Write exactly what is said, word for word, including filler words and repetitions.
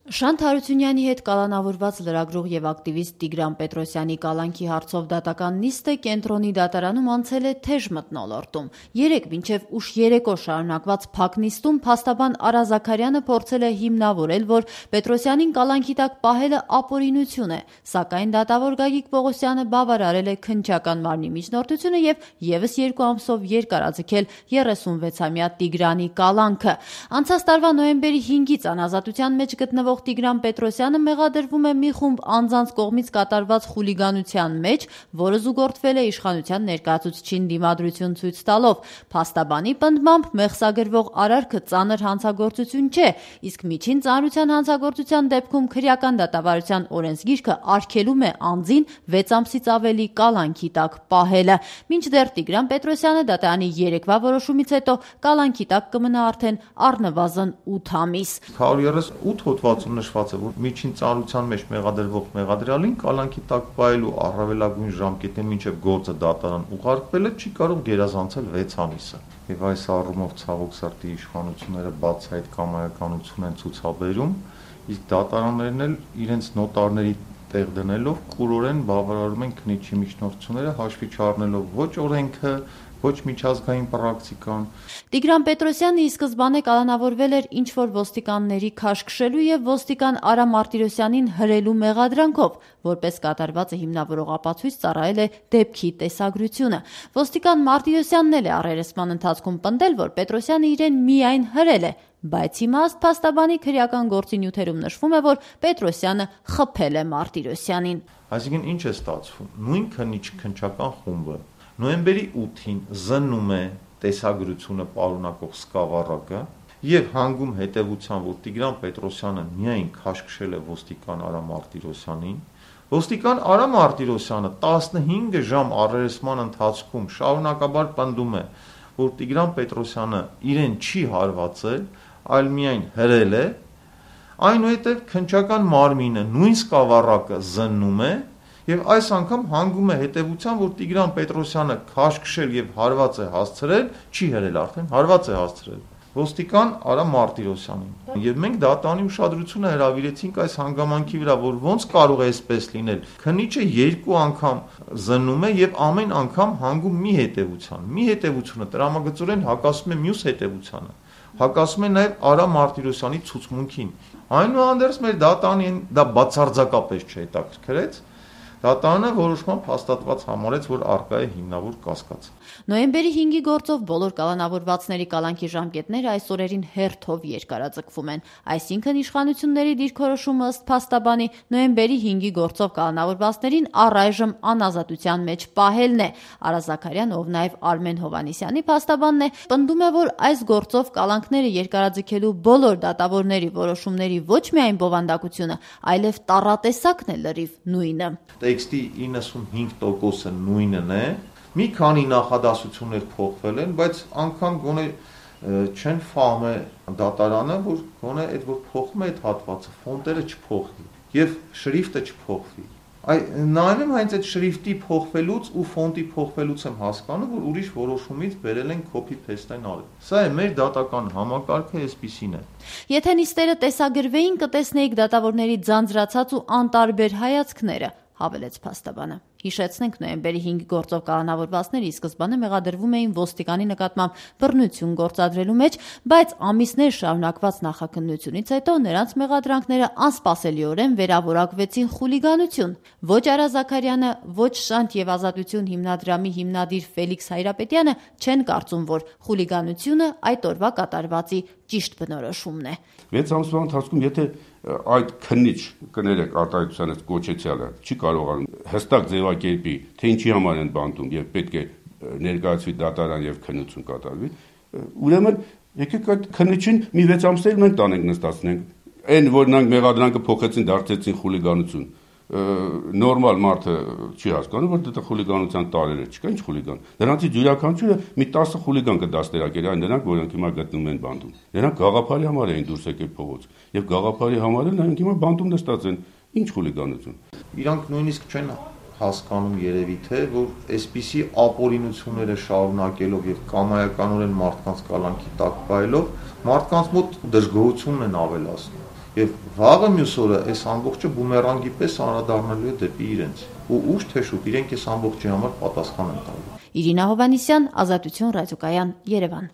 Շանթ Հարությունյանի հետ կալանավորված լրագրող եւ ակտիվիստ Տիգրան Պետրոսյանի կալանքի հարցով դատական նիստը կենտրոնի դատարանում անցել է թեժ մթնոլորտում։ Երեկ մինչև ուշ երեկո շարունակված փակ նիստում փաստաբան Արա Զաքարյանը փորձել է հիմնավորել, որ Պետրոսյանին կալանքի տակ պահելը ապօրինություն է, սակայն դատավոր Գագիկ Պողոսյանը բավարարել է քննչական մարմնի միջնորդությունը եւ եւս երկու ամսով երկարաձգել երեսունվեցամյա Տիգրանի կալանքը։ Անցած տարվա նոյեմբերի հինգից անազատության մեջ գտնվող Տիգրան Պետրոսյանը մեղադրվում է մի խումբ անձանց կողմից կատարված խուլիգանության մեջ, որը զուգորդվել է իշխանության ներկայացուցչին դիմադրություն ցույց տալով։ Փաստաբանի պնդմամբ մեղսագրվող արարքը ծանր հանցագործություն չէ, իսկ միջին ծանրության հանցագործության դեպքում քրեական դատավարության օրենսգիրքը արգելում է անձին վեց ամսից ավելի կալանքի տակ պահելը։ Մինչդեռ Տիգրան Պետրոսյանը դատարանի երեկվա որոշումից հետո կալանքի տակ կմնա արդեն առնվազն ութ ամիս։ հարյուր երեսունութ հոդվածում նշված է, որ միջին ծանրության մեջ մեղադրվող մեղադրյալին կալանքի տակ պահելու առավելագույն ժամկետը մինչև գործը դատարան ուղարկվելը չի կարող գերազանցել վեց ամիսը։ Եվ այս առումով ցավոք սրտի իշխանությունները բացահայտ կամայականություն են ցուցաբերում, իսկ դատարաններն էլ իրենց նոտարների տեղ դնելով կուրորեն բավարարում են քննիչի միջնորդությունները, հաշվի չառնելով ոչ օրենքը, ոչ միջազգային պրակտիկան։ Տիգրան Պետրոսյանը ի սկզբանե կալանավորվել էր ինչ-որ ոստիկանների քաշքշելու եւ ոստիկան Արա Մարտիրոսյանին հրելու մեղադրանքով, որպես կատարվածը հիմնավորող ապացույց ծառայել է դեպքի տեսագրությունը։ Ոստիկան Մարտիրոսյանն էլ է առերեսման ընթացքում պնդել, որ Պետրոսյանը իրեն միայն հրել է, բայց հիմա ըստ փաստաբանի քրեական գործի նյութերում նշվում է, որ Պետրոսյանը խփել է Մարտիրոսյանին։ Այսինքն ինչ է ստացվում։ Նույն քննիչ քննչական խումբը նոյեմբերի ութին զննում է տեսագրությունը պարունակող սկավառակը եւ հանգում հետեւության, որ Տիգրան Պետրոսյանը միայն քաշքշել է ոստիկան Արա Մարտիրոսյանին։ Ոստիկան Արա Մարտիրոսյանը տասնհինգ ժամ առերեսման ընթացքում շարունակաբար պնդում է, որ Տիգրան Պետրոսյանը իրեն չի հարվածել, այլ միայն հրել է, այնուհետև քննչական մարմինը նույն սկավառակը զննում է եւ այս անգամ հանգում է հետեւության, որ Տիգրան Պետրոսյանը քաշքշել եւ հարված է հասցրել, չի հրել արդեն, հարված է հասցրել ոստիկան Արա Մարտիրոսյանին։ Եվ մենք դատարանի ուշադրությունը հրավիրեցինք այս հանգամանքի վրա, որ ոնց կարող է այսպես լինել։ Քննիչը երկու անգամ զննում է եւ ամեն անգամ հանգում մի հետեւության։ Մի հետեւությունը տրամագծորեն հակասում է մյուս հետեւությանը։ Հակասում է նաեւ Արա Մարտիրոսյանի ցուցմունքին։ Այնուհանդերձ մեր դատարանին դա բացարձակապես չհետաքրքրեց։ Դատարանը որոշմամբ հաստատված համարեց, որ առկա է հիմնավոր կասկած։ Նոյեմբերի հինգի գործով բոլոր կալանավորվածների կալանքի ժամկետները այս օրերին հերթով երկարաձգվում են։ Այսինքն իշխանությունների դիրքորոշումը ըստ փաստաբանի նոյեմբերի հինգի գործով կալանավորվածներին առայժմ անազատության մեջ պահելն է։ Արա Զաքարյանը, ով նաև Արմեն Հովհաննիսյանի փաստաբանն է, պնդում է, որ այս գործով կալանքները երկարաձգելու բոլոր դատավորների որոշումների ոչ միայն բովանդակությունը, այլև տառատեսակն է լրիվ նույնը։ Տեքստի իննսունհինգ տոկոսը նույնն է, մի քանի նախադասություններ փոխվել են, բայց անգամ գոնե չեն ֆահմել դատարանը, որ գոնե այդ որ փոխում է այդ հատվածը, ֆոնտերը չփոխվի եւ շրիֆտը չփոխվի։ Այ նայում հենց այդ շրիֆտի փոխվելուց ու ֆոնտի փոխվելուց եմ հասկանում, որ ուրիշ որոշումից բերել են copy paste են արել։ Սա է մեր դատական համակարգը, այսպիսին է։ Եթե նիստերը տեսագրվեին, կտեսնեիք դատավորների ձանձրացած ու անտարբեր հայացքները, հավելեց փաստաբանը։ Հիշեցնենք, նոյեմբերի հինգի գործով կալանավորվածները ի սկզբանե մեղադրվում էին ոստիկանի նկատմամբ բռնություն գործադրելու մեջ, բայց ամիսներ շարունակված նախաքննությունից հետո նրանց մեղադրանքները անսպասելիորեն վերավորակվեցին խուլիգանություն։ Ոչ Արա Զաքարյանը, ոչ Շանթ եւ Ազատություն հիմնադրամի հիմնադիր Ֆելիքս Հայրապետյանը չեն կարծում, որ խուլիգանությունը այդ օրվա կատարվածի ճիշտ բնորոշումն է։ վեց ամսվա ընթացքում եթե այդ քննիչ կներեք արտահայտության այս կոչեցյալը չի կարողանում հստակ ձևակերպի, թե ինչի համար են բանտում եւ պետք է ներկայացվի դատարան եւ քննություն կատարվի, ուրեմն եկեք այդ քննիչին մի վեց ամսել մենք տանենք նստացնենք, այն որ նրանք մեղադրանքը փոխեցին, դարձեցին խուլիգանություն, նորմալ մարդը չի հասկանում, որ դա խուլիգանության տարեր է, չկա ինչ խուլիգան։ Նրանցից յուրաքանչյուրը մի տասը խուլիգան կդաստիարակեր, այն նրանք, որոնք հիմա գտնվում են բանտում։ Նրանք գաղափարի համար էին դուրս եկել փողոց, եւ գաղափարի համար էլ նրանք հիմա բանտում նստած են։ Ինչ խուլիգանություն։ Իրանք նույնիսկ չեն հասկանում երևի թե, որ այսպիսի ապօրինությունները շարունակելով եւ կամայականորեն մարդկանց կալանքի տակ պահելով մարդկանց մոտ դժգոհությունն են ավելացնում։ Եվ վաղը մյուս օրը այս ամբողջը բումերանգի պես անդրադառնալու է դեպի իրենց։ Ու ուշ թե շուտ իրենք այս ամբողջի համար պատասխան են տալու։ Իրինա Հովհաննիսյան, Ազատություն ռադիոկայան, Երևան։